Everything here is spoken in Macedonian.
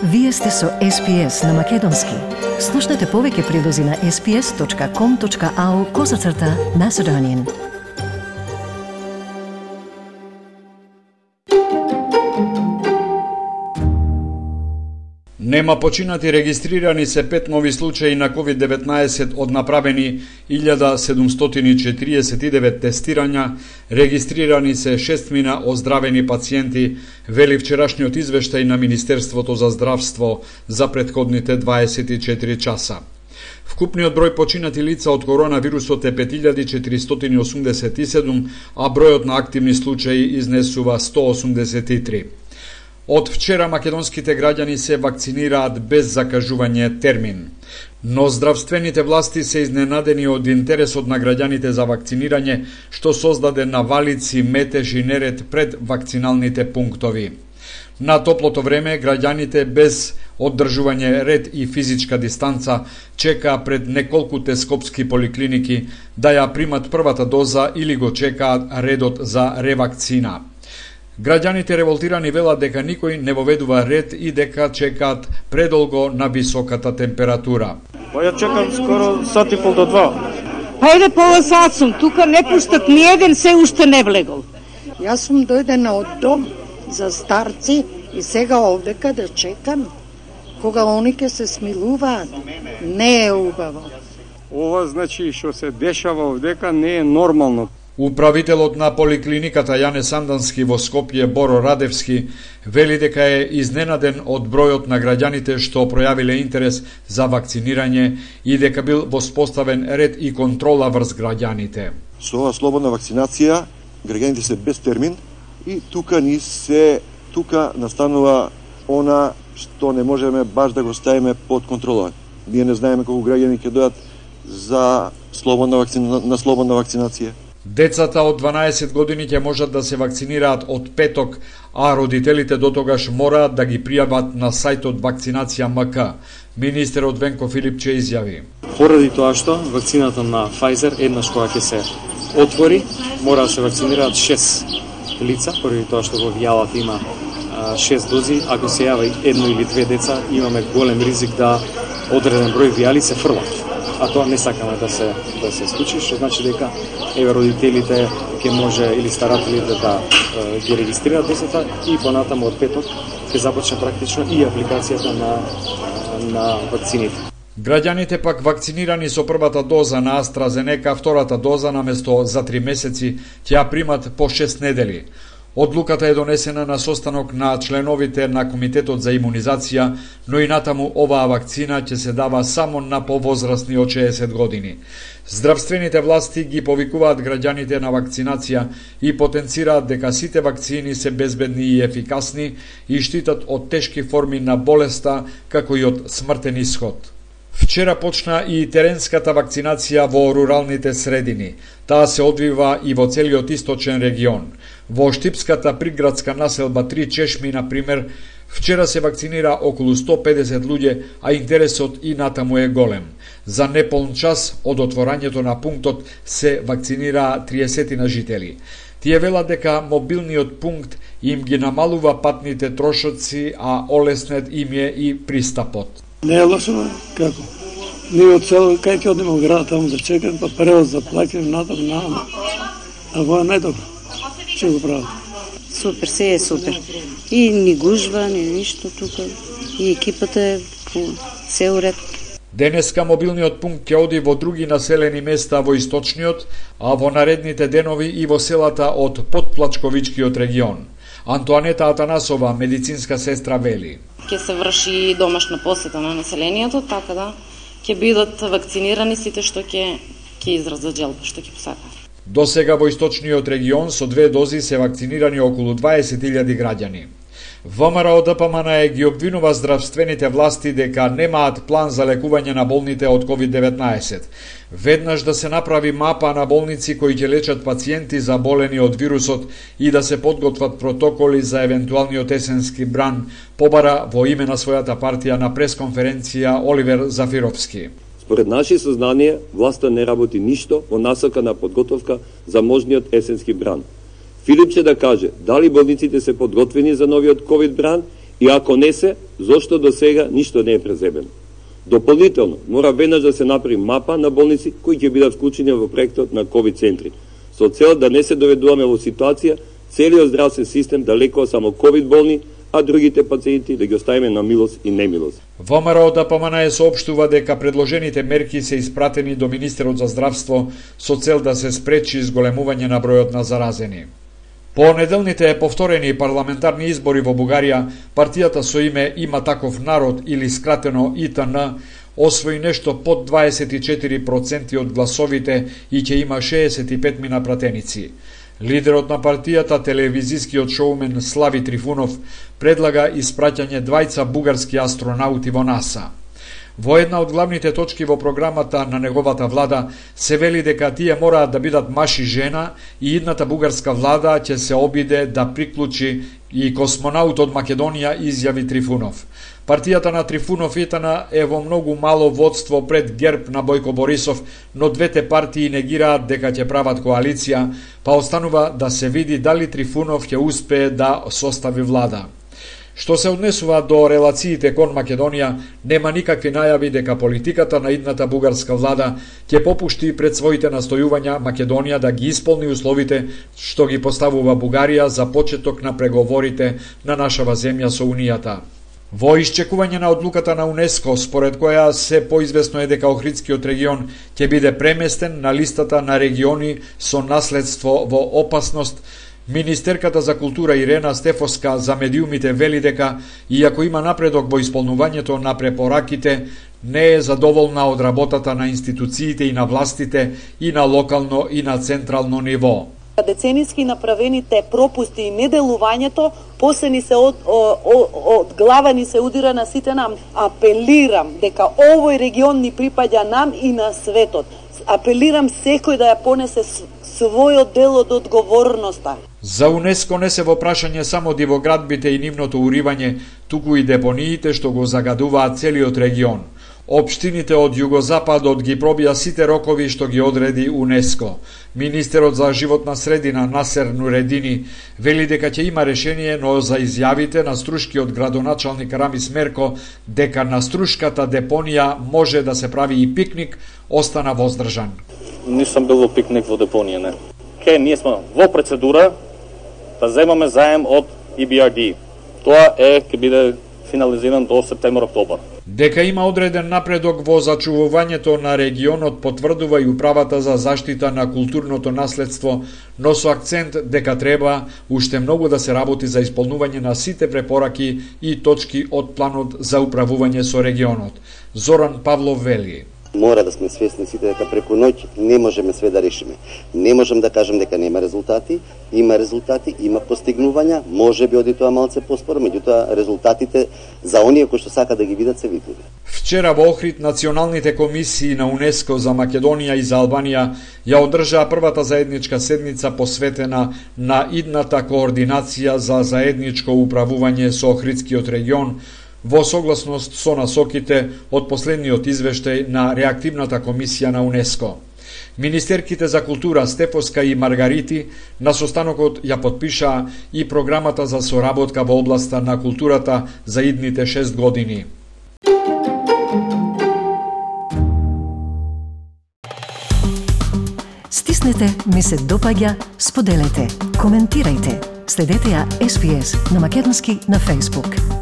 Вие сте со SPS на Македонски. Слушнете повеќе прилози на sps.com.au/Macedonian. Нема починати, регистрирани се 5 нови случаи на COVID-19 од направени 1749 тестирања, регистрирани се 6 оздравени пациенти, вели вчерашниот извештај на Министерството за здравство за претходните 24 часа. Вкупниот број починати лица од коронавирусот е 5487, а бројот на активни случаи изнесува 183. Од вчера македонските граѓани се вакцинираат без закажување термин. Но здравствените власти се изненадени од интересот на граѓаните за вакцинирање, што создаде навалици, метеж и неред пред вакциналните пунктови. На топлото време, граѓаните без оддржување ред и физичка дистанца чекаа пред неколкуте скопски поликлиники да ја примат првата доза или го чекаат редот за ревакцина. Граѓаните револтирани велат дека никој не воведува ред и дека чекаат предолго на високата температура. Па ја чекам скоро сат и пол до 2. Хајде пола сат сум, тука не пуштат ни еден, се уште не влегол. Јас сум дојдена од дом за старци и сега овдека да чекам кога они ќе се смилуваат. Не е убаво. Ова значи што се дешава овдека не е нормално. Управителот на поликлиниката Јане Сандански во Скопје Боро Радевски вели дека е изненаден од бројот на граѓаните што пројавиле интерес за вакцинирање и дека бил воспоставен ред и контрола врз граѓаните. Со оваа слободна вакцинација граѓаните се без термин и тука настанува она што не можеме баш да го ставиме под контрола. Ние не знаеме колку граѓани ќе дојдат за слободна вакцинација. Децата од 12 години ќе можат да се вакцинираат од петок, а родителите дотогаш мораат да ги пријават на сајтот Вакцинација МК. Министерот Венко Филипче изјави: Поради тоа што вакцината на Pfizer еднаш кога ќе се отвори, мора да се вакцинираат 6 лица, поради тоа што во вијалата има 6 дози, ако се јави едно или две деца, имаме голем ризик да одреден број вијали се фрлат. А тоа не сакаме да се случи, што значи дека родителите ќе може или старателите да ги регистрираат децата и понатаму од петок ќе започне практично и апликацијата на вакцините. Граѓаните пак вакцинирани со првата доза на AstraZeneca, втората доза наместо за 3 месеци ќе ја примат по 6 недели. Одлуката е донесена на состанок на членовите на Комитетот за имунизација, но и натаму оваа вакцина ќе се дава само на повозрасни од 60 години. Здравствените власти ги повикуваат граѓаните на вакцинација и потенцираат дека сите вакцини се безбедни и ефикасни и штитат од тешки форми на болеста, како и од смртен исход. Вчера почна и теренската вакцинација во руралните средини. Таа се одвива и во целиот источен регион. Во Штипската приградска населба 3 Чешми, например, вчера се вакцинира околу 150 луѓе, а интересот и натаму е голем. За неполн час од отворањето на пунктот се вакцинира 30 на жители. Тие велат дека мобилниот пункт им ги намалува патните трошоци, а олеснет им е и пристапот. Не е лошо, како? Ние од село, кај ќе одиме во град, таму да чекам, па превоз да плакам, натаму. А во е најдобро. Че го прават? Супер, се е супер. И ни гужва, ни ништо тука. И екипата е по цел ред. Денеска мобилниот пункт ќе оди во други населени места во источниот, а во наредните денови и во селата од Подплачковичкиот регион. Антоанета Атанасова, медицинска сестра, вели: Ќе се врши домашна посета на населението, така да ќе бидат вакцинирани сите што ќе изразат желба, што ќе посакаат. До сега во источниот регион со 2 дози се вакцинирани околу 20.000 граѓани. ВМРО ДПМН ги обвинува здравствените власти дека немаат план за лекување на болните од COVID-19. Веднаш да се направи мапа на болници кои ќе лечат пациенти заболени од вирусот и да се подготват протоколи за евентуалниот есенски бран, побара во име на својата партија на пресконференција Оливер Зафировски. Според наши сознанија, власта не работи ништо во насока на подготовка за можниот есенски бран. Филипче да каже дали болниците се подготвени за новиот ковид бран И ако не се, зошто до сега ништо не е презебено? Дополнително, мора веднаш да се направи мапа на болници кои ќе бидат вклучени во проектот на COVID центри, со цел да не се доведуваме во ситуација целиот здравствен систем да лекува само COVID болни, а другите пациенти да ги оставиме на милост и немилост. ВМРО ДПМН соопштува дека предложените мерки се испратени до Министерот за здравство со цел да се спречи зголемување на бројот на заразени. По неделните повторени парламентарни избори во Бугарија, партијата со име Има таков народ или скратено ИТН освои нешто под 24% од гласовите и ќе има 65 пратеници. Лидерот на партијата, телевизискиот шоумен Слави Трифунов, предлага испраќање двајца бугарски астронаути во НАСА. Во една од главните точки во програмата на неговата влада се вели дека тие мораат да бидат маж и жена и идната бугарска влада ќе се обиде да приклучи и космонаут од Македонија, изјави Трифунов. Партијата на Трифунов ИТН е во многу мало водство пред ГЕРБ на Бојко Борисов, но двете партии негираат дека ќе прават коалиција, па останува да се види дали Трифунов ќе успее да состави влада. Што се однесува до релациите кон Македонија, нема никакви најави дека политиката на идната бугарска влада ќе попушти пред своите настојувања Македонија да ги исполни условите што ги поставува Бугарија за почеток на преговорите на нашава земја со Унијата. Во исчекување на одлуката на УНЕСКО, според која се поизвестно е дека Охридскиот регион ќе биде преместен на листата на региони со наследство во опасност, Министерката за култура Ирена Стефоска за медиумите вели дека, иако има напредок во исполнувањето на препораките, не е задоволна од работата на институциите и на властите и на локално и на централно ниво. Деценијски направените пропусти и неделувањето после ни се од глава ни се удира на сите нам. Апелирам дека овој регион ни припаѓа нам и на светот. Апелирам секој да ја понесе својот дел од одговорноста. За УНЕСКО не се во прашање само дивоградбите и нивното уривање, туку и депониите што го загадуваат целиот регион. Општините од југозападот ги пробија сите рокови што ги одреди УНЕСКО. Министерот за животна средина Насер Нуредини вели дека ќе има решение, но за изјавите на струшкиот градоначалник Рамис Мерко дека на струшката депонија може да се прави и пикник, остана воздржан. Нисам бил во пикник во депонија, не. Ние сме во процедура да земаме заем од EBRD. Тоа ќе биде финализиран до септември-октобар. Дека има одреден напредок во зачувувањето на регионот потврдува и управата за заштита на културното наследство, но со акцент дека треба уште многу да се работи за исполнување на сите препораки и точки од планот за управување со регионот. Зоран Павлов вели: Мора да сме свесни сите дека преку ноќ не можеме све да решиме. Не можам да кажам дека нема резултати, има постигнувања, можеби оди тоа малце поспоро, меѓутоа резултатите за оние кои што сака да ги видат се видливи. Вчера во Охрид националните комисии на УНЕСКО за Македонија и за Албанија ја одржаа првата заедничка седница посветена на идната координација за заедничко управување со Охридскиот регион, во согласност со насоките од последниот извештај на реактивната комисија на УНЕСКО. Министерките за култура Стефоска и Маргарити на состанокот ја подпишаа и програмата за соработка во областа на културата за идните 6 години. Стиснете, ми се допаѓа, споделете, коментирајте. Следете ја SPS на Македонски на Facebook.